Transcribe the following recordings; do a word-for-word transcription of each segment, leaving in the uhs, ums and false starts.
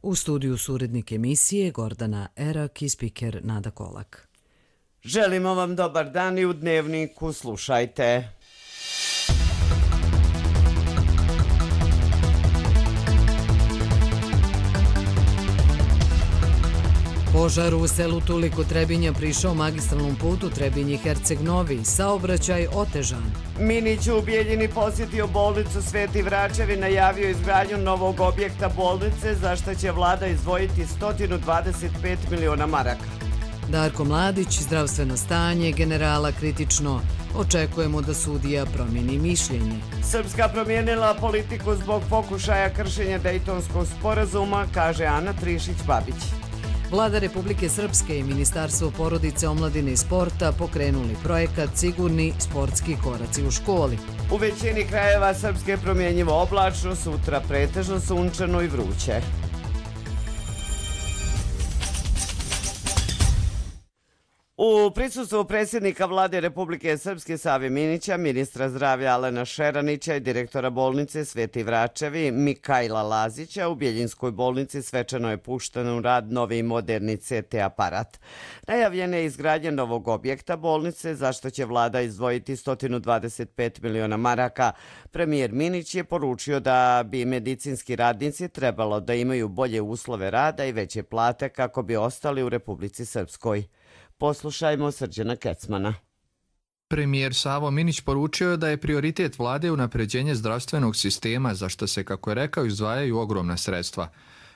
U studiju su urednik emisije Gordana Erak i spiker Nada Kolak. Želimo vam dobar dan i u Dnevniku slušajte. Požar u selu Tuliko Trebinja prišao magistralnom putu Trebinje-Herceg-Novi, saobraćaj otežan. Minić u Bijeljini posjetio bolnicu Sveti Vračevi, najavio izgradnju novog objekta bolnice, za što će vlada izdvojiti sto dvadeset pet miliona maraka. Darko Mladić, zdravstveno stanje generala kritično. Očekujemo da sudija promijeni mišljenje. Srpska promijenila politiku zbog pokušaja kršenja Dejtonskog sporazuma, kaže Ana Trišić-Babić. Vlada Republike Srpske i Ministarstvo porodice, omladine i sporta pokrenuli projekat Sigurni sportski koraci u školi. U većini krajeva Srpske promjenjivo oblačno, sutra pretežno sunčano i vruće. U prisustvu predsjednika vlade Republike Srpske Save Minića, ministra zdravlja Alena Šeranića i direktora bolnice Sveti Vračevi Mikajla Lazića, u Bijeljinskoj bolnici svečano je pušten u rad novi moderni C T aparat. Najavljena je izgradnja novog objekta bolnice, za što će vlada izdvojiti sto dvadeset pet miliona maraka. Premijer Minić je poručio da bi medicinski radnici trebalo da imaju bolje uslove rada i veće plate kako bi ostali u Republici Srpskoj. Poslušajmo Srđana Kecmana. Premijer Savo Minić poručio je da je prioritet vlade unapređenje zdravstvenog sistema, za što se, kako je rekao, izdvajaju ogromna sredstva.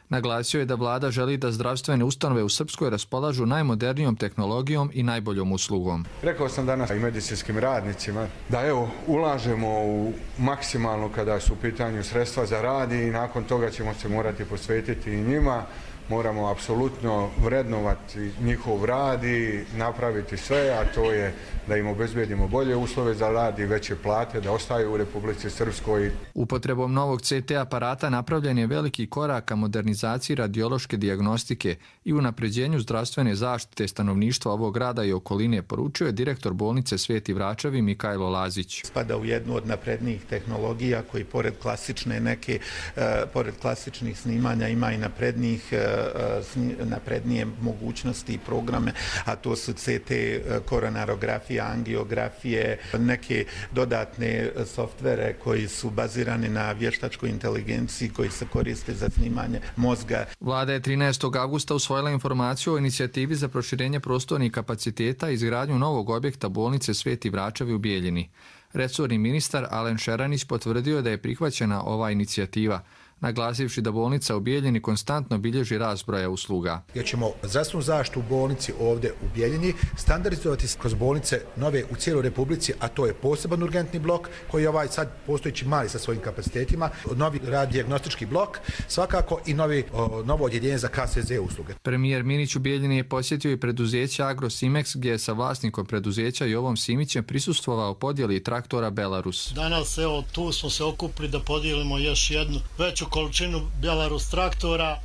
Naglasio je da vlada želi da zdravstvene ustanove u Srpskoj raspolažu najmodernijom tehnologijom i najboljom uslugom. Rekao sam danas i medicinskim radnicima da evo ulažemo u maksimalno kada su u pitanju sredstva za rad i nakon toga ćemo se morati posvetiti i njima. Moramo apsolutno vrednovati njihov rad i napraviti sve, a to je da im obezbedimo bolje uslove za rad i veće plate, da ostaju u Republici Srpskoj. Upotrebom novog C T aparata napravljen je veliki korak ka modernizaciji radiološke dijagnostike i unapređenju zdravstvene zaštite stanovništva ovog grada i okoline, poručio je direktor bolnice Sveti Vračevi Mikajlo Lazić. Spada u jednu od naprednijih tehnologija koji pored klasične neke, uh, pored klasičnih snimanja ima i naprednijih naprednije mogućnosti i programe, a to su C T, koronarografije, angiografije, neke dodatne softvere koji su bazirani na vještačkoj inteligenciji koji se koriste za snimanje mozga. Vlada je trinaestog avgusta usvojila informaciju o inicijativi za proširenje prostornih kapaciteta i izgradnju novog objekta bolnice Sveti Vračevi u Bijeljini. Resorni ministar Alen Šeranić potvrdio da je prihvaćena ova inicijativa, naglasivši da bolnica u Bijeljini konstantno bilježi rast broja usluga. Jer ćemo zdravstvenu zaštitu u bolnici ovdje u Bijeljini standardizovati kroz bolnice nove u cijeloj Republici, a to je poseban urgentni blok koji je ovaj sad postojići mali sa svojim kapacitetima, novi radiodiagnostički blok, svakako i novi, o, novo odjeljenje za K S Z usluge. Premijer Minić u Bijeljini je posjetio i preduzeće Agrosimex, gdje je sa vlasnikom preduzeća Jovom Simićem prisustvovao podjeli traktora Belarus. Danas evo tu smo se okupili da podijelimo još jednu veću količinu Belarus traktora.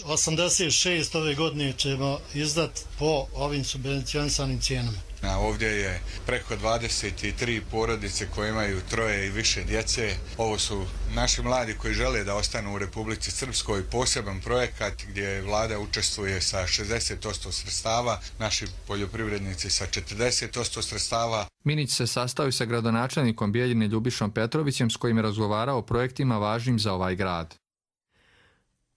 osamdeset šest ove godine ćemo izdati po ovim subvencionisanim cijenama. Ovdje je preko dvadeset tri porodice koje imaju troje i više djece. Ovo su naši mladi koji žele da ostanu u Republici Srpskoj. Poseban projekat gdje vlada učestvuje sa šezdeset posto sredstava, naši poljoprivrednici sa četrdeset posto sredstava. Minić se sastao sa gradonačelnikom Bijeljine Ljubišom Petrovićem, s kojim je razgovarao o projektima važnim za ovaj grad.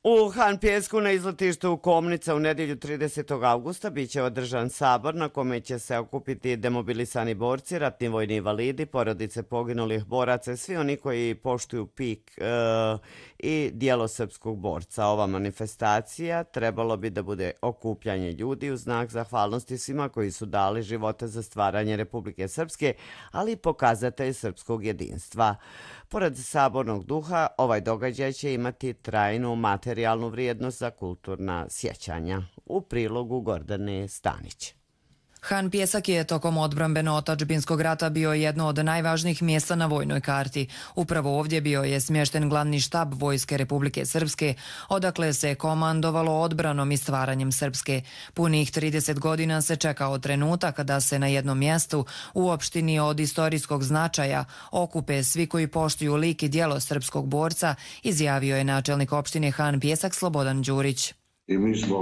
U Han Pjesku na izletištu Komnica u nedjelju tridesetog avgusta biće održan sabor na kome će se okupiti demobilisani borci, ratni vojni invalidi, porodice poginulih boraca i svi oni koji poštuju pik e, i dijelo srpskog borca. Ova manifestacija trebalo bi da bude okupljanje ljudi u znak zahvalnosti svima koji su dali živote za stvaranje Republike Srpske, ali i pokazatelj srpskog jedinstva. Pored sabornog duha, ovaj događaj će imati trajnu materijalnu vrijednost za kulturna sjećanja. U prilogu Gordane Stanić. Han Pjesak je tokom odbrambeno-otadžbinskog rata bio jedno od najvažnijih mjesta na vojnoj karti. Upravo ovdje bio je smješten glavni štab Vojske Republike Srpske, odakle se komandovalo odbranom i stvaranjem Srpske. Punih trideset godina se čekao trenutak da se na jednom mjestu u opštini od istorijskog značaja okupe svi koji poštuju lik i djelo srpskog borca, izjavio je načelnik opštine Han Pjesak Slobodan Đurić. I mi smo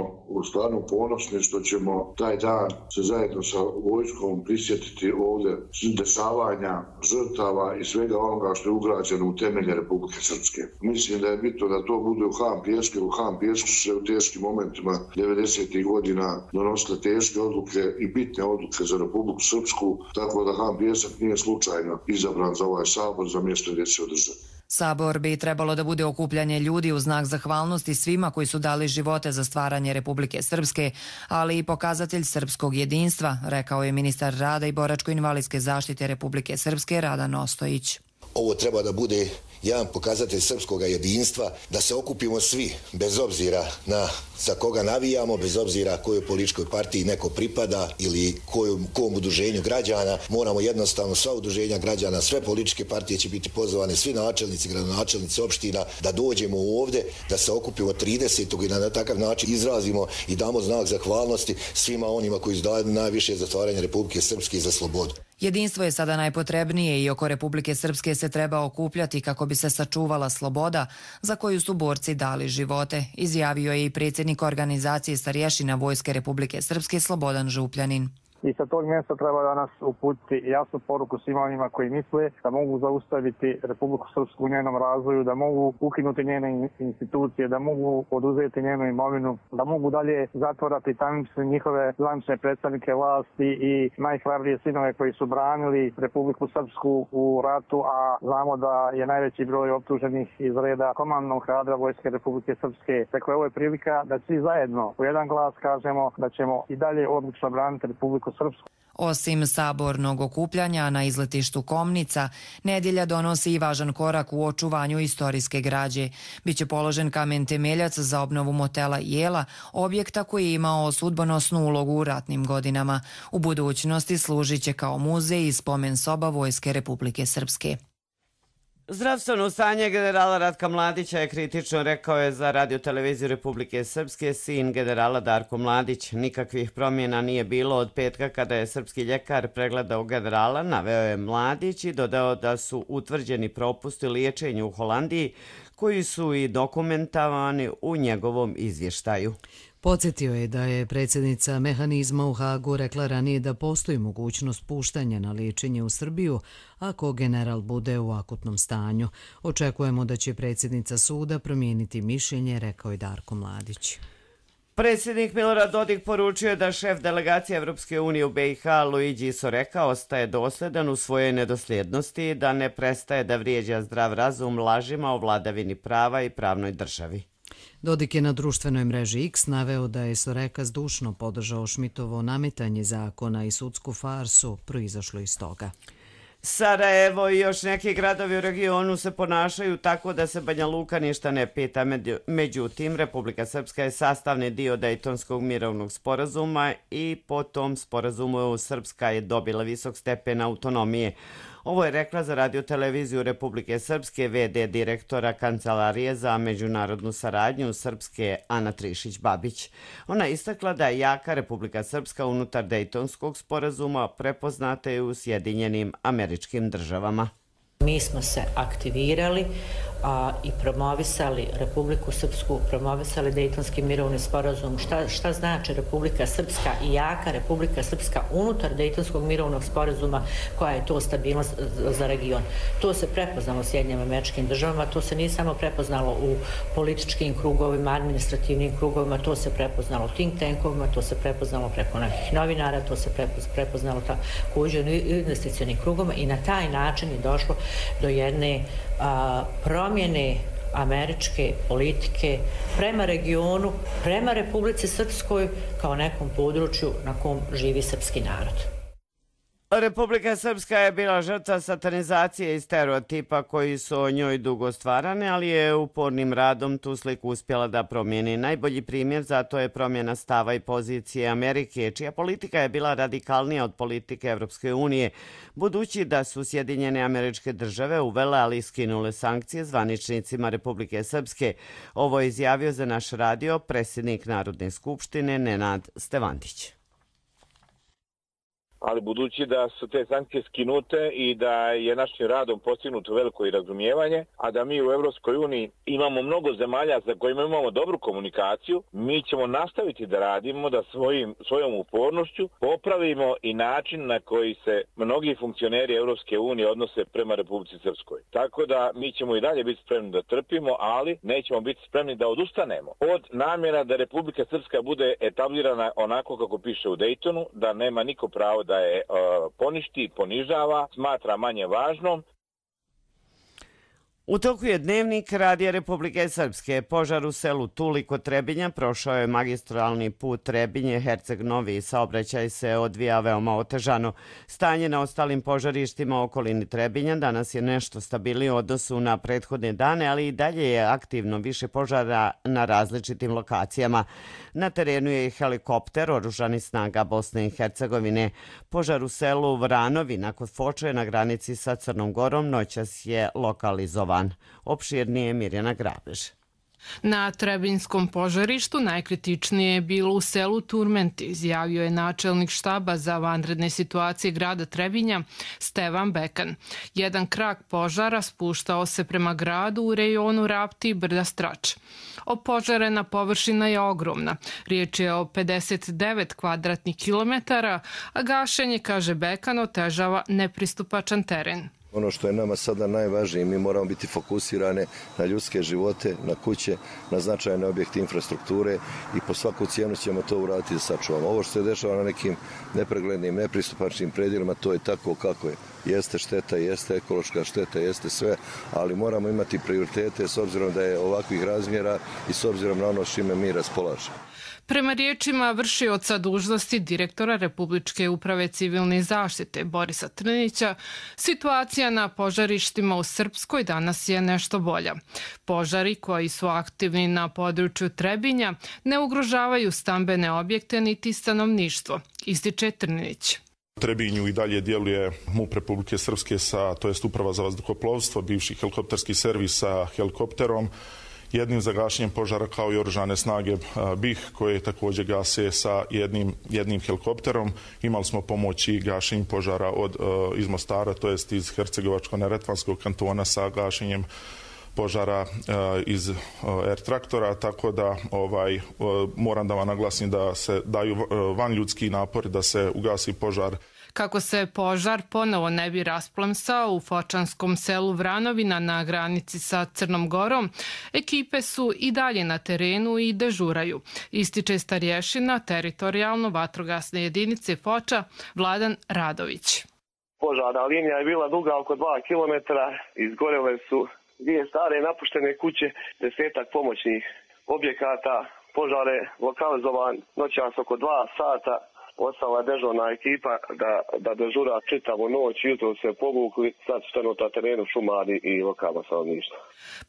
stvarno ponosni što ćemo taj dan se zajedno sa vojskom prisjetiti ovdje dešavanja, žrtava i svega onoga što je ugrađeno u temelje Republike Srpske. Mislim da je bitno da to bude u Han Pjesku, u Han Pjesku su se u teškim momentima devedesetih godina donosile teške odluke i bitne odluke za Republiku Srpsku, tako da Han Pjesak nije slučajno izabran za ovaj sabor za mjesto gdje se održa. Sabor bi trebalo da bude okupljanje ljudi u znak zahvalnosti svima koji su dali živote za stvaranje Republike Srpske, ali i pokazatelj srpskog jedinstva, rekao je ministar rada i boračko-invalidske zaštite Republike Srpske Radan Ostojić. Ovo treba da bude jedan pokazatelj srpskog jedinstva, da se okupimo svi, bez obzira na za koga navijamo, bez obzira kojoj političkoj partiji neko pripada ili kojom, kom udruženju građana. Moramo jednostavno sva udruženja građana, sve političke partije će biti pozvane, svi načelnici, gradonačelnici opština, da dođemo ovdje, da se okupimo tridesetog i na takav način izrazimo i damo znak zahvalnosti svima onima koji su dali najviše za stvaranje Republike Srpske i za slobodu. Jedinstvo je sada najpotrebnije i oko Republike Srpske se treba okupljati kako bi se sačuvala sloboda za koju su borci dali živote, izjavio je i predsjednik organizacije starješina Vojske Republike Srpske Slobodan Župljanin. I sa tog mjesta treba danas uputiti jasnu poruku svima onima koji misle da mogu zaustaviti Republiku Srpsku u njenom razvoju, da mogu ukinuti njene institucije, da mogu oduzeti njenu imovinu, da mogu dalje zatvorati tamnice njihove zvanične predstavnike vlasti i najhrabrije sinove koji su branili Republiku Srpsku u ratu, a znamo da je najveći broj optuženih iz reda komandnog kadra Vojske Republike Srpske. Dakle, ovo je prilika da svi zajedno u jedan glas kažemo da ćemo i dalje odlučno braniti Republiku Srpsku. Osim sabornog okupljanja na izletištu Komnica, nedjelja donosi i važan korak u očuvanju istorijske građe. Biće položen kamen temeljac za obnovu motela Jela, objekta koji je imao sudbonosnu ulogu u ratnim godinama. U budućnosti služit će kao muzej i spomen soba Vojske Republike Srpske. Zdravstveno stanje generala Ratka Mladića je kritično, rekao je za Radio-televiziju Republike Srpske sin generala Darko Mladić. Nikakvih promjena nije bilo od petka kada je srpski ljekar pregledao generala, naveo je Mladić i dodao da su utvrđeni propusti liječenja u Holandiji koji su i dokumentovani u njegovom izvještaju. Podsjetio je da je predsjednica mehanizma u Hagu rekla ranije da postoji mogućnost puštanja na liječenje u Srbiju ako general bude u akutnom stanju. Očekujemo da će predsjednica suda promijeniti mišljenje, rekao je Darko Mladić. Predsjednik Milorad Dodik poručio je da šef delegacije Evropske unije u B i H Luigi Soreka ostaje dosljedan u svojoj nedosljednosti, da ne prestaje da vrijeđa zdrav razum lažima o vladavini prava i pravnoj državi. Dodik je na društvenoj mreži X naveo da je Soreka zdušno podržao Šmitovo nametanje zakona i sudsku farsu proizašlo iz toga. Sarajevo i još neki gradovi u regionu se ponašaju tako da se Banja Luka ništa ne pita. Međutim, Republika Srpska je sastavni dio Dejtonskog mirovnog sporazuma i po tom sporazumu Srpska je dobila visok stepen autonomije. Ovo je rekla za Radio-televiziju Republike Srpske ve de direktora Kancelarije za međunarodnu saradnju Srpske Ana Trišić-Babić. Ona je istakla da je jaka Republika Srpska unutar Dejtonskog sporazuma prepoznata i u Sjedinjenim Američkim Državama. Mi smo se aktivirali a, i promovisali Republiku Srpsku, promovisali Dejtonski mirovni sporazum. Šta, šta znači Republika Srpska i jaka Republika Srpska unutar Dejtonskog mirovnog sporazuma, koja je to stabilnost za region. To se prepoznalo u Sjedinjenim Američkim Državama, to se nije samo prepoznalo u političkim krugovima, administrativnim krugovima, to se prepoznalo u think tankovima, to se prepoznalo preko nekih novinara, to se prepoznalo također u investicionim krugovima i na taj način je došlo do jedne a, promjene američke politike prema regionu, prema Republici Srpskoj kao nekom području na kom živi srpski narod. Republika Srpska je bila žrtva satanizacije i stereotipa koji su o njoj dugo stvarane, ali je upornim radom tu sliku uspjela da promijeni. Najbolji primjer za to je promjena stava i pozicije Amerike, čija politika je bila radikalnija od politike Evropske unije, budući da su Sjedinjene Američke Države uvele, ali skinule sankcije zvaničnicima Republike Srpske. Ovo je izjavio za naš radio predsjednik Narodne skupštine Nenad Stevandić. Ali budući da su te sankcije skinute i da je našim radom postignuto veliko i razumijevanje, a da mi u Evropskoj uniji imamo mnogo zemalja za kojima imamo dobru komunikaciju, mi ćemo nastaviti da radimo, da svojim, svojom upornošću popravimo i način na koji se mnogi funkcioneri Evropske unije odnose prema Republici Srpskoj. Tako da mi ćemo i dalje biti spremni da trpimo, ali nećemo biti spremni da odustanemo od namjera da Republika Srpska bude etablirana onako kako piše u Dejtonu, da nema niko pravo da je uh, poništi, ponižava, smatra manje važnom. U toku je Dnevnik Radija Republike Srpske. Požar u selu Tuli kod Trebinja prošao je magistralni put Trebinje-Herceg Novi. Saobraćaj se odvija veoma otežano. Stanje na ostalim požarištima u okolini Trebinja danas je nešto stabilnije u odnosu na prethodne dane, ali i dalje je aktivno više požara na različitim lokacijama. Na terenu je i helikopter oružanih snaga Bosne i Hercegovine. Požar u selu Vranovina kod Foče na granici sa Crnom Gorom noćas je lokalizovan. Opširnije Mirjana Grabež. Na Trebinjskom požarištu najkritičnije je bilo u selu Turmenti, izjavio je načelnik štaba za vanredne situacije grada Trebinja Stevan Bekan. Jedan krak požara spuštao se prema gradu u rejonu Rapti i Brda Strač. Opožarena površina je ogromna. Riječ je o pedeset devet kvadratnih kilometara, a gašenje, kaže Bekan, otežava nepristupačan teren. Ono što je nama sada najvažnije, mi moramo biti fokusirane na ljudske živote, na kuće, na značajne objekte infrastrukture i po svaku cijenu ćemo to uraditi da sačuvamo. Ovo što se dešava na nekim nepreglednim, nepristupačnim predjelima, to je tako kako je. Jeste šteta, jeste ekološka šteta, jeste sve, ali moramo imati prioritete s obzirom da je ovakvih razmjera i s obzirom na ono s čime mi raspolažemo. Prema riječima vršioca dužnosti direktora Republičke uprave civilne zaštite Borisa Trnića, situacija na požarištima u Srpskoj danas je nešto bolja. Požari koji su aktivni na području Trebinja ne ugrožavaju stambene objekte niti stanovništvo, ističe Trnić. U Trebinju i dalje djeluje MUP Republike Srpske, sa, to jest Uprava za vazduhoplovstvo, bivši helikopterski servis sa helikopterom, jednim za gašenjem požara kao i oružane snage B I H koje također gase sa jednim, jednim helikopterom. Imali smo pomoć i gašenjem požara od, iz Mostara, to jest iz Hercegovačko-neretvanskog kantona sa gašenjem požara iz air traktora, tako da ovaj, moram da vam naglasim da se daju van ljudski napori da se ugasi požar. Kako se požar ponovo ne bi rasplamsao u fočanskom selu Vranovina na granici sa Crnom Gorom, ekipe su i dalje na terenu i dežuraju, ističe starješina teritorijalno vatrogasne jedinice Foča Vladan Radović. Požarna linija je bila duga oko dva kilometra, izgorele su dvije stare napuštene kuće, desetak pomoćnih objekata, požar je lokalizovan noćas oko dva sata. Ostala dežurna ekipa da, da dežura čitavu noć, jutro se povukli, sad su trenutno na terenu šumari i lokalno stanovništvo.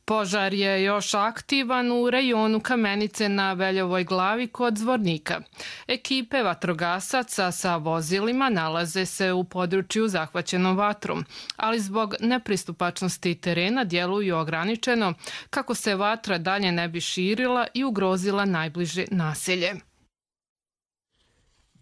Požar je još aktivan u rejonu Kamenice na Veljovoj glavi kod Zvornika. Ekipe vatrogasaca sa vozilima nalaze se u području zahvaćenom vatrom, ali zbog nepristupačnosti terena djeluju ograničeno kako se vatra dalje ne bi širila i ugrozila najbliže naselje.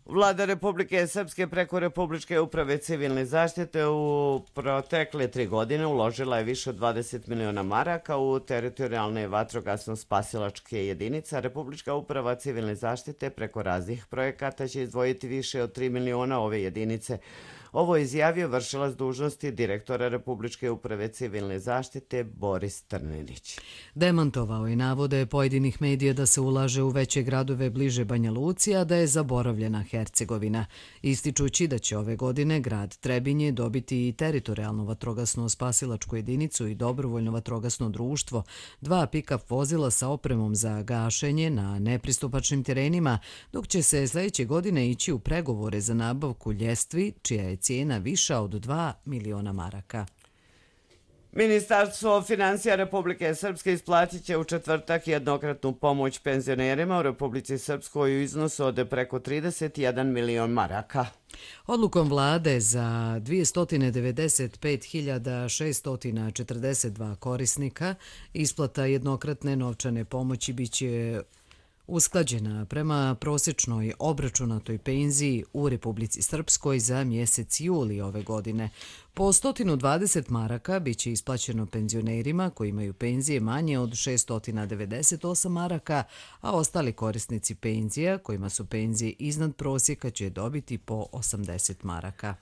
Vlada Republike Srpske preko Republičke uprave civilne zaštite u protekle tri godine uložila je više od dvadeset miliona maraka u teritorijalne vatrogasno-spasilačke jedinice. Republička uprava civilne zaštite preko raznih projekata će izdvojiti više od tri miliona ove jedinice. Ovo je izjavio vršilac dužnosti direktora Republičke uprave civilne zaštite Boris Trninić. Demantovao je navode pojedinih medija da se ulaže u veće gradove bliže Banja Luci, a da je zaboravljena Hercegovina, ističući da će ove godine grad Trebinje dobiti i teritorijalno vatrogasno spasilačku jedinicu i dobrovoljno vatrogasno društvo, dva pick-up vozila sa opremom za gašenje na nepristupačnim terenima, dok će se sljedeće godine ići u pregovore za nabavku ljestvi, čija je cijena viša od dva miliona maraka. Ministarstvo financija Republike Srpske isplatit će u četvrtak jednokratnu pomoć penzionerima u Republici Srpskoj u iznosu od preko trideset jedan milion maraka. Odlukom vlade za dvjesto devedeset pet hiljada šesto četrdeset dva korisnika isplata jednokratne novčane pomoći biće usklađena prema prosječnoj obračunatoj penziji u Republici Srpskoj za mjesec juli ove godine. Po sto dvadeset maraka biće isplaćeno penzionerima koji imaju penzije manje od šesto devedeset osam maraka, a ostali korisnici penzija kojima su penzije iznad prosjeka će dobiti po osamdeset maraka.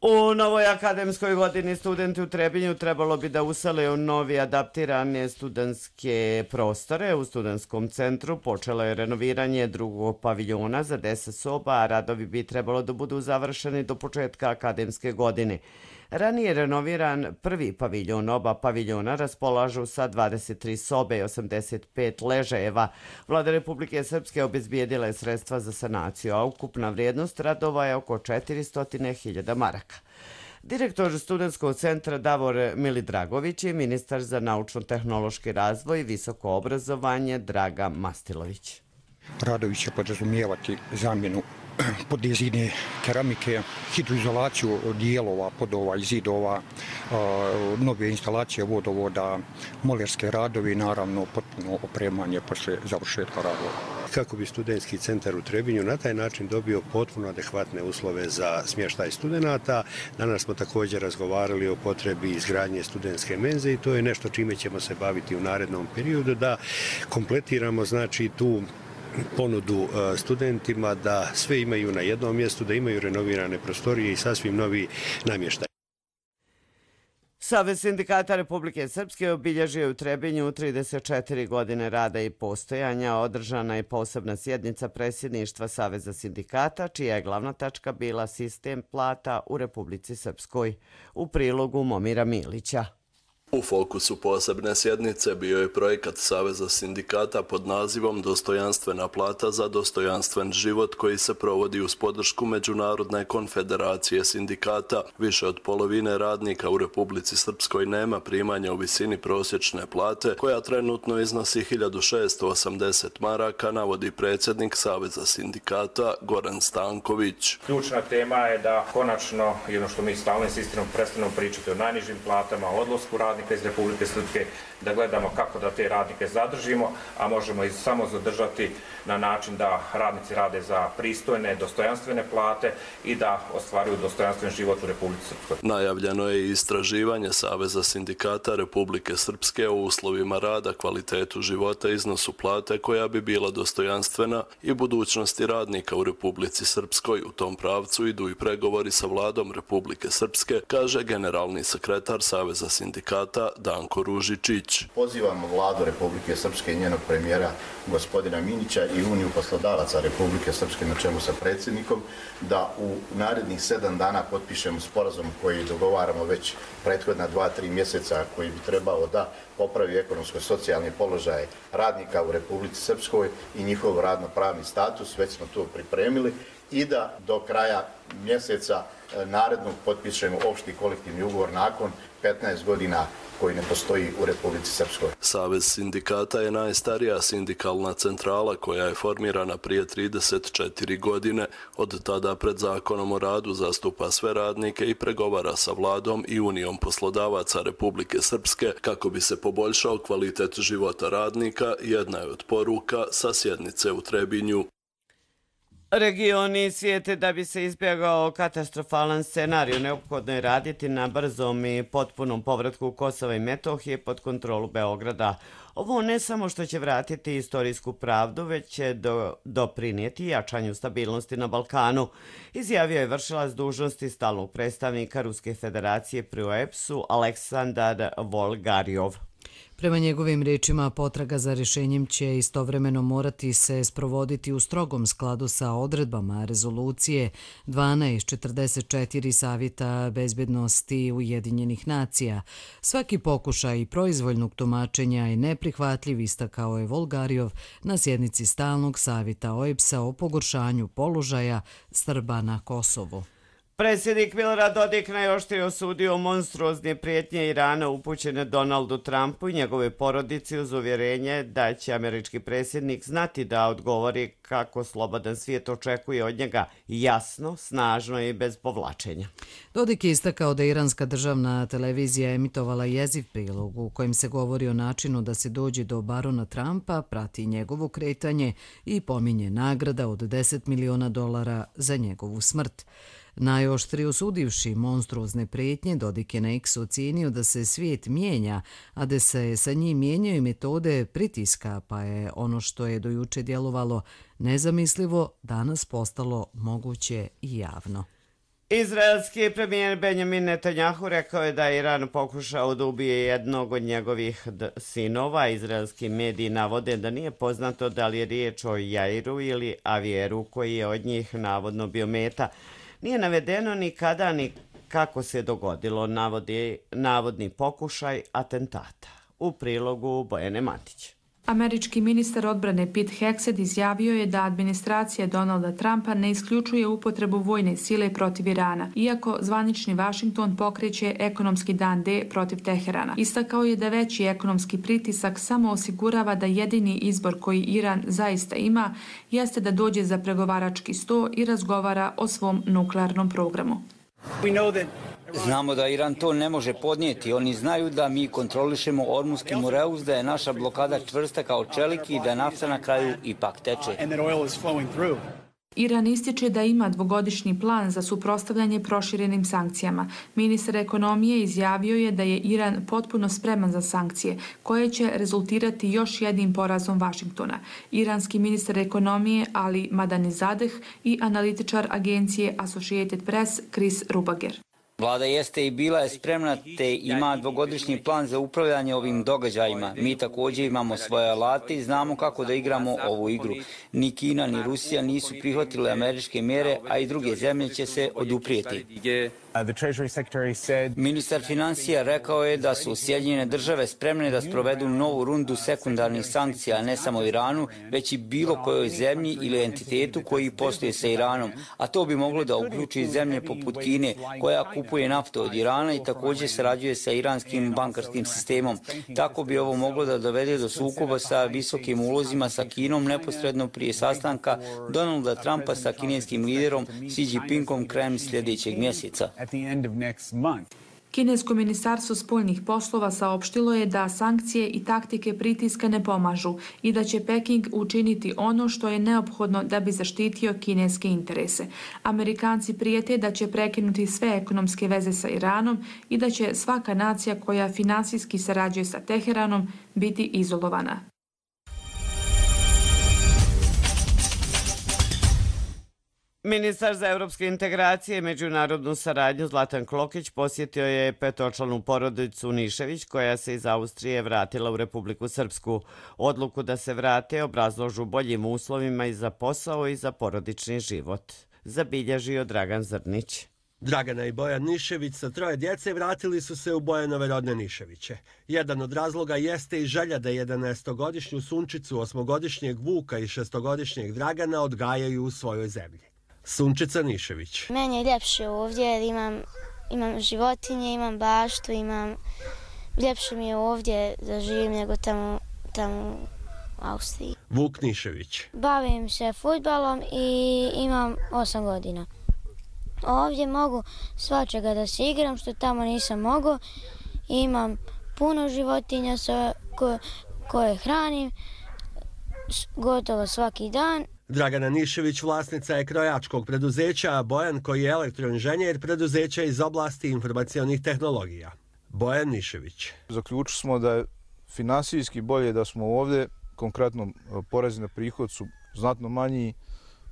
U novoj akademskoj godini studenti u Trebinju trebalo bi da usele u novi adaptirane studentske prostore. U studentskom centru počelo je renoviranje drugog paviljona za deset soba, a radovi bi trebalo da budu završeni do početka akademske godine. Ranije renoviran prvi paviljon, oba paviljona raspolažu sa dvadeset tri sobe i osamdeset pet ležajeva. Vlada Republike Srpske obezbijedila je sredstva za sanaciju, a ukupna vrijednost radova je oko četiristo hiljada maraka. Direktor studentskog centra Davor Milidragović i ministar za naučno-tehnološki razvoj i visoko obrazovanje Draga Mastilović. Radovi će podrazumijevati zamjenu podizine keramike, hidroizolaciju dijelova, podova i zidova, nove instalacije vodovoda, molerske radovi i naravno potpuno opremanje posle završetka radova. Kako bi studentski centar u Trebinju na taj način dobio potpuno adekvatne uslove za smještaj studenata. Danas smo također razgovarali o potrebi izgradnje studentske menze i to je nešto čime ćemo se baviti u narednom periodu, da kompletiramo znači tu ponudu studentima, da sve imaju na jednom mjestu, da imaju renovirane prostorije i sasvim novi namještaj. Savez sindikata Republike Srpske obilježio u Trebinju trideset četiri godine rada i postojanja. Održana je posebna sjednica predsjedništva Saveza sindikata, čija je glavna tačka bila sistem plata u Republici Srpskoj. U prilogu Momira Milića. U fokusu posebne sjednice bio je projekat Saveza sindikata pod nazivom Dostojanstvena plata za dostojanstven život, koji se provodi uz podršku Međunarodne konfederacije sindikata. Više od polovine radnika u Republici Srpskoj nema primanja u visini prosječne plate, koja trenutno iznosi hiljadu šesto osamdeset maraka, navodi predsjednik Saveza sindikata Goran Stanković. Ključna tema je da konačno, jedno što mi stalno insistiramo, prestanemo pričati o najnižim platama, o odlasku radnika iz Republike Srpske, da gledamo kako da te radnike zadržimo, a možemo ih samo zadržati na način da radnici rade za pristojne, dostojanstvene plate i da ostvaruju dostojanstven život u Republici Srpskoj. Najavljeno je i istraživanje Saveza sindikata Republike Srpske o uslovima rada, kvalitetu života, iznosu plate koja bi bila dostojanstvena i budućnosti radnika u Republici Srpskoj. U tom pravcu idu i pregovori sa vladom Republike Srpske, kaže generalni sekretar Saveza sindikata Danko Ružičić. Pozivamo vladu Republike Srpske i njenog premijera gospodina Minića i Uniju poslodavaca Republike Srpske na čelu sa predsjednikom da u narednih sedam dana potpišemo sporazum koji dogovaramo već prethodna dva, tri mjeseca, koji bi trebao da popravi ekonomsko-socijalni položaj radnika u Republici Srpskoj i njihov radno-pravni status. Već smo to pripremili i da do kraja mjeseca narednog potpišemo opšti kolektivni ugovor nakon petnaest godina koji ne postoji u Republici Srpskoj. Savez sindikata je najstarija sindikalna centrala koja je formirana prije trideset četiri godine. Od tada pred Zakonom o radu zastupa sve radnike i pregovara sa vladom i Unijom poslodavaca Republike Srpske kako bi se poboljšao kvalitet života radnika, jedna je od poruka sa sjednice u Trebinju. Regioni svijete da bi se izbjegao katastrofalan scenarij, neophodno je raditi na brzom i potpunom povratku Kosova i Metohije pod kontrolu Beograda. Ovo ne samo što će vratiti istorijsku pravdu, već će do, doprinijeti jačanju stabilnosti na Balkanu, izjavio je vršilac dužnosti stalnog predstavnika Ruske federacije pri O E P S-u Aleksandar Volgarjov. Prema njegovim riječima, potraga za rješenjem će istovremeno morati se sprovoditi u strogom skladu sa odredbama rezolucije dvanaest četrdeset četiri Savjeta bezbednosti Ujedinjenih nacija. Svaki pokušaj proizvoljnog tumačenja je neprihvatljiv, istakao je Volgarjov na sjednici stalnog savjeta O E P S-a o pogoršanju položaja Srba na Kosovu. Predsjednik Milorad Dodik najoštrije osudio monstruozne prijetnje Irana upućene Donaldu Trumpu i njegove porodici uz uvjerenje da će američki predsjednik znati da odgovori kako slobodan svijet očekuje od njega jasno, snažno i bez povlačenja. Dodik je istakao da iranska državna televizija emitovala jeziv prilog u kojem se govori o načinu da se dođe do barona Trumpa, prati njegovo kretanje i pominje nagrada od deset miliona dolara za njegovu smrt. Najoštrije osudivši monstruozne prijetnje, Dodik je na X ocijenio da se svijet mijenja, a da se sa njim mijenjaju metode pritiska, pa je ono što je dojuče djelovalo nezamislivo danas postalo moguće i javno. Izraelski premijer Benjamin Netanjahu rekao je da je Iran pokušao da ubije jednog od njegovih sinova. Izraelski mediji navode da nije poznato da li je riječ o Jairu ili Avieru koji je od njih navodno bio meta. Nije navedeno ni kada ni kako se dogodilo navodi, navodni pokušaj atentata. U prilogu Bojane Matić. Američki ministar odbrane Pete Hegseth izjavio je da administracija Donalda Trumpa ne isključuje upotrebu vojne sile protiv Irana, iako zvanični Washington pokreće ekonomski dan D protiv Teherana. Istakao je da veći ekonomski pritisak samo osigurava da jedini izbor koji Iran zaista ima jeste da dođe za pregovarački sto i razgovara o svom nuklearnom programu. Znamo da Iran to ne može podnijeti. Oni znaju da mi kontrolišemo Ormuski Moreus, da je naša blokada čvrsta kao čelik i da nafta na kraju ipak teče. Iran ističe da ima dvogodišnji plan za suprotstavljanje proširenim sankcijama. Ministar ekonomije izjavio je da je Iran potpuno spreman za sankcije, koje će rezultirati još jednim porazom Vašingtona. Iranski ministar ekonomije Ali Madanizadeh i analitičar agencije Associated Press Chris Rubager. Vlada jeste i bila je spremna te ima dvogodišnji plan za upravljanje ovim događajima. Mi također imamo svoje alate i znamo kako da igramo ovu igru. Ni Kina ni Rusija nisu prihvatile američke mjere, a i druge zemlje će se oduprijeti. Ministar financija rekao je da su Sjedinjene države spremne da sprovedu novu rundu sekundarnih sankcija ne samo Iranu, već i bilo kojoj zemlji ili entitetu koji posluje sa Iranom, a to bi moglo da uključi zemlje poput Kine koja kupuje naftu od Irana i također sarađuje sa iranskim bankarskim sistemom. Tako bi ovo moglo da dovede do sukoba sa visokim ulozima sa Kinom neposredno prije sastanka Donalda Trumpa sa kineskim liderom Xi Jinpingom krajem sljedećeg mjeseca. Kinesko ministarstvo spoljnih poslova saopštilo je da sankcije i taktike pritiska ne pomažu i da će Peking učiniti ono što je neophodno da bi zaštitio kineske interese. Amerikanci prijete da će prekinuti sve ekonomske veze sa Iranom i da će svaka nacija koja finansijski sarađuje sa Teheranom biti izolovana. Ministar za evropske integracije i međunarodnu saradnju Zlatan Klokić posjetio je petočlanu porodicu Nišević koja se iz Austrije vratila u Republiku Srpsku. Odluku da se vrate obrazložu boljim uslovima i za posao i za porodični život. Zabilježio Dragan Zrnić. Dragana i Bojan Nišević sa troje djece vratili su se u Bojanove rodne Niševiće. Jedan od razloga jeste i želja da jedanaestogodišnju Sunčicu, osmogodišnjeg Vuka i šestogodišnjeg Dragana odgajaju u svojoj zemlji. Sunčica Nišević. Meni je ljepše ovdje jer imam, imam životinje, imam baštu, imam... Ljepše mi je ovdje da živim nego tamo, tamo u Austriji. Vuk Nišević. Bavim se fudbalom i imam osam godina. Ovdje mogu svačega da se igram što tamo nisam mogao. Imam puno životinja koje, koje hranim gotovo svaki dan. Dragana Nišević vlasnica je krojačkog preduzeća, a Bojan koji je elektroinženjer preduzeća iz oblasti informacionih tehnologija. Bojan Nišević. Zaključili smo da je finansijski bolje da smo ovdje, konkretno porezi na prihod su znatno manji.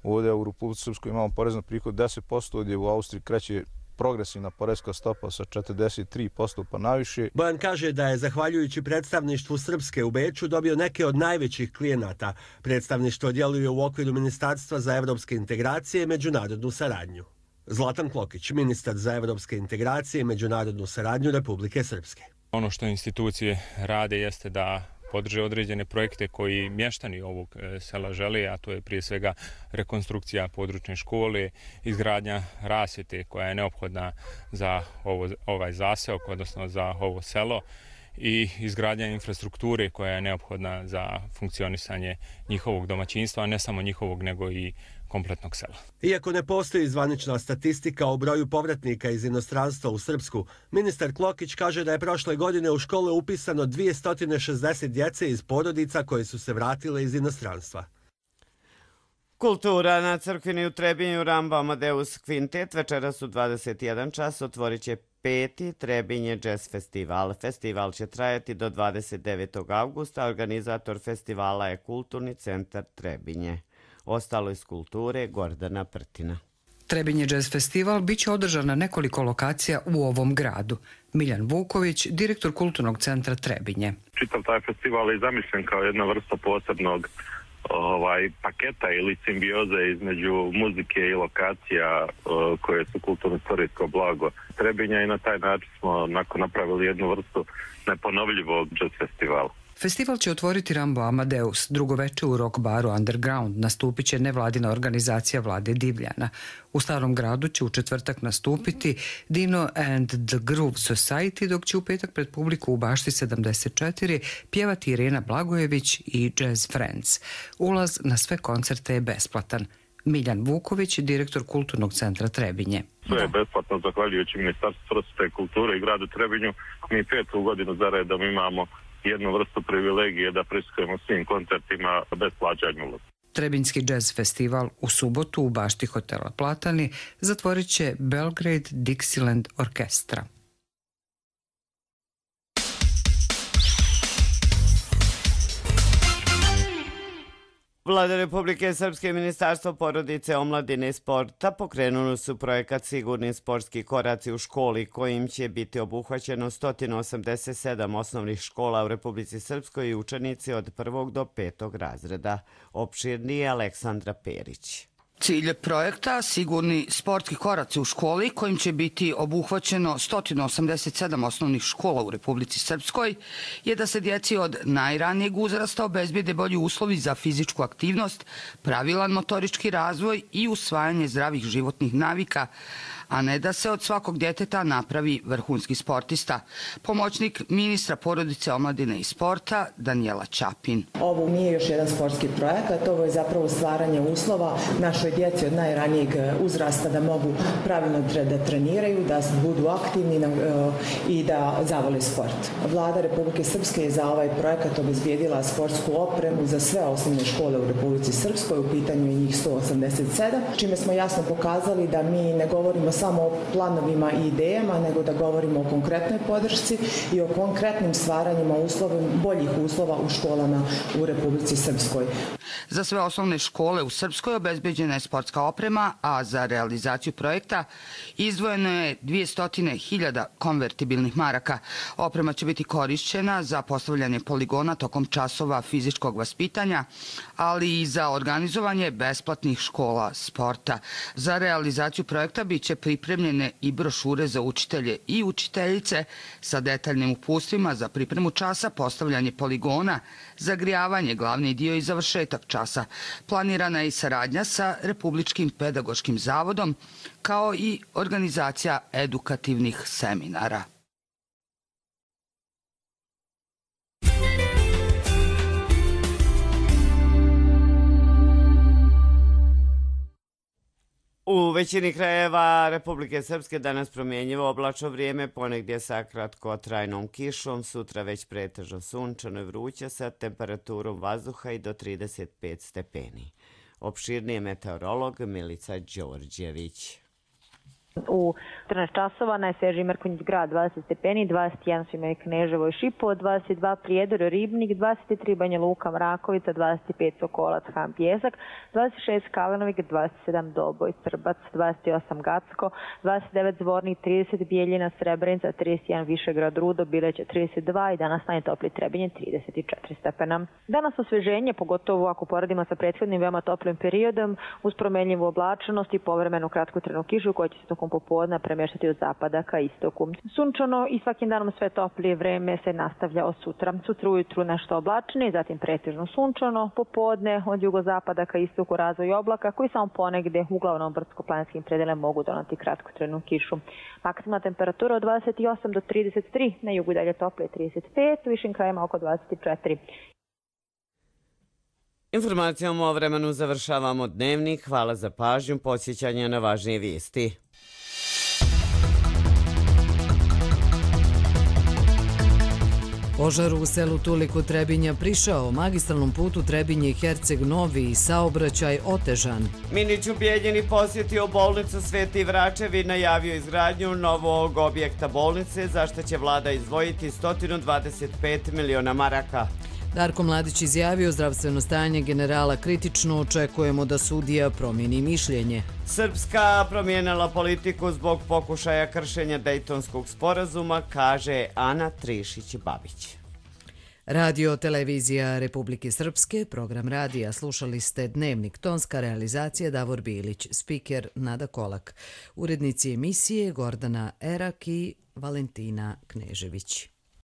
Ovdje u Republici Srpskoj imamo porez na prihod deset posto, gdje u Austriji kreće progresivna porezka stopa sa četrdeset tri posto pa naviše. Bojan kaže da je zahvaljujući predstavništvu Srpske u Beču dobio neke od najvećih klijenata. Predstavništvo djeluje u okviru Ministarstva za evropske integracije i međunarodnu saradnju. Zlatan Klokić, ministar za evropske integracije i međunarodnu saradnju Republike Srpske. Ono što institucije rade jeste da podrže određene projekte koji mještani ovog sela žele, a to je prije svega rekonstrukcija područne škole, izgradnja rasvjete koja je neophodna za ovo, ovaj zaseok, odnosno za ovo selo, i izgradnja infrastrukture koja je neophodna za funkcionisanje njihovog domaćinstva, a ne samo njihovog nego i kompletnog sela. Iako ne postoji zvanična statistika o broju povratnika iz inostranstva u Srpsku, ministar Klokić kaže da je prošle godine u škole upisano dvjesto šezdeset djece iz porodica koje su se vratile iz inostranstva. Kultura na crkvini u Trebinju Rambo Amadeus Kvintet večeras u dvadeset jedan čas otvorit će peti Trebinje Jazz Festival. Festival će trajati do dvadeset devetog avgusta. Organizator festivala je Kulturni centar Trebinje. Ostalo iz kulture Gordana Prtina. Trebinje Jazz Festival biće održan na nekoliko lokacija u ovom gradu. Miljan Vuković, direktor Kulturnog centra Trebinje. Čitav taj festival je zamišljen kao jedna vrsta posebnog ovaj, paketa ili simbioze između muzike i lokacija uh, koje su kulturno-istorijsko blago Trebinja i na taj način smo nakon napravili jednu vrstu neponovljivog jazz festivala. Festival će otvoriti Rambo Amadeus. Drugo veče u rock baru Underground nastupit će nevladina organizacija Vlade Divljana. U Starom gradu će u četvrtak nastupiti Dino and the Groove Society, dok će u petak pred publiku u Bašti sedamdeset četiri pjevati Irena Blagojević i Jazz Friends. Ulaz na sve koncerte je besplatan. Miljan Vuković, direktor Kulturnog centra Trebinje. Sve je besplatno zahvaljujući Ministarstvu prosvjete i kulture i gradu Trebinju. Mi petu godinu za redom imamo jednu vrstu privilegije da prisustvujemo svim koncertima bez plaćanja ulaza. Trebinjski jazz festival u subotu u bašti hotela Platani zatvorit će Belgrade Dixieland Orkestra. Vlada Republike Srpske i Ministarstvo porodice, omladine i sporta pokrenuli su projekat Sigurni sportski koraci u školi kojim će biti obuhvaćeno sto osamdeset sedam osnovnih škola u Republici Srpskoj i učenici od prvog do petog razreda. Opširnije Aleksandra Perić. Cilj projekta Sigurni sportski koraci u školi kojim će biti obuhvaćeno sto osamdeset sedam osnovnih škola u Republici Srpskoj je da se djeci od najranijeg uzrasta obezbijede bolji uslovi za fizičku aktivnost, pravilan motorički razvoj i usvajanje zdravih životnih navika, a ne da se od svakog djeteta napravi vrhunski sportista. Pomoćnik ministra porodice, omladine i sporta Danijela Ćapin. Ovo nije još jedan sportski projekat, ovo je zapravo stvaranje uslova našoj djeci od najranijeg uzrasta da mogu pravilno da treniraju, da budu aktivni i da zavole sport. Vlada Republike Srpske je za ovaj projekat obezbijedila sportsku opremu za sve osnovne škole u Republici Srpskoj, u pitanju je njih sto osamdeset sedam, čime smo jasno pokazali da mi ne govorimo samo o planovima i idejama, nego da govorimo o konkretnoj podršci i o konkretnim stvaranjima uslova, boljih uslova u školama u Republici Srpskoj. Za sve osnovne škole u Srpskoj obezbeđena je sportska oprema, a za realizaciju projekta izdvojeno je dvjesto hiljada konvertibilnih maraka. Oprema će biti korišćena za postavljanje poligona tokom časova fizičkog vaspitanja, ali i za organizovanje besplatnih škola sporta. Za realizaciju projekta bit će pripremljene i brošure za učitelje i učiteljice sa detaljnim uputstvima za pripremu časa, postavljanje poligona, zagrijavanje, glavni dio i završetak časa. Planirana je i saradnja sa Republičkim pedagoškim zavodom, kao i organizacija edukativnih seminara. U većini krajeva Republike Srpske danas promjenjivo oblačno vrijeme, ponegdje sa kratkotrajnom kišom, sutra već pretežno sunčano i vruće sa temperaturom vazduha i do trideset pet stepeni. Opširniji meteorolog Milica Đorđević. U četrnaest časova najsvežiji Mrkonjić grad dvadeset stepeni, dvadeset jedan su imali Kneževo i Šipovo, dvadeset dva Prijedor, Ribnik, dvadeset tri Banja Luka, Mrakovica, dvadeset pet Sokolac, Han Pjesak, dvadeset šest Kalenovik, dvadeset sedam Doboj, Srbac, dvadeset osam Gacko, dvadeset devet Zvornik, trideset Bijeljina, Srebrenica, trideset jedan Višegrad, Rudo, Bileće trideset dva i danas najtoplije Trebinje trideset četiri stepena. Danas osveženje, pogotovo ako poradimo sa prethodnim veoma toplim periodom, uz promenljivu oblačenost i povremenu kratkotrajnu kišu koja će se tokom tokom popodna premještati od zapada ka istoku. Sunčano i svakim danom sve toplije vreme se nastavlja od sutra. Sutra ujutru nešto oblačnije, zatim pretežno sunčano, popodne od jugozapada ka istoku razvoj oblaka koji samo ponegde uglavnom brdsko-planinskim predelima mogu donati kratkotrajnu kišu. Maksimalna temperatura od dvadeset osam do trideset tri, na jugu dalje toplije trideset pet, u višim krajima oko dvadeset četiri. Informacijom o vremenu završavamo dnevnik. Hvala za pažnju, podsjećanja na važnije vijesti. Požar u selu Tuliku Trebinja prišao, magistralnom putu Trebinje-Herceg Novi i saobraćaj otežan. Minić u Bijeljini posjetio bolnicu Sveti Vračev i najavio izgradnju novog objekta bolnice, za što će vlada izdvojiti sto dvadeset pet miliona maraka. Darko Mladić izjavio zdravstveno stanje generala kritično, očekujemo da sudija promijeni mišljenje. Srpska promijenila politiku zbog pokušaja kršenja Dejtonskog sporazuma, kaže Ana Trišić-Babić. Radio televizija Republike Srpske, program radija, slušali ste Dnevnik, tonska realizacija Davor Bilić, spiker Nada Kolak, urednici emisije Gordana Erak i Valentina Knežević.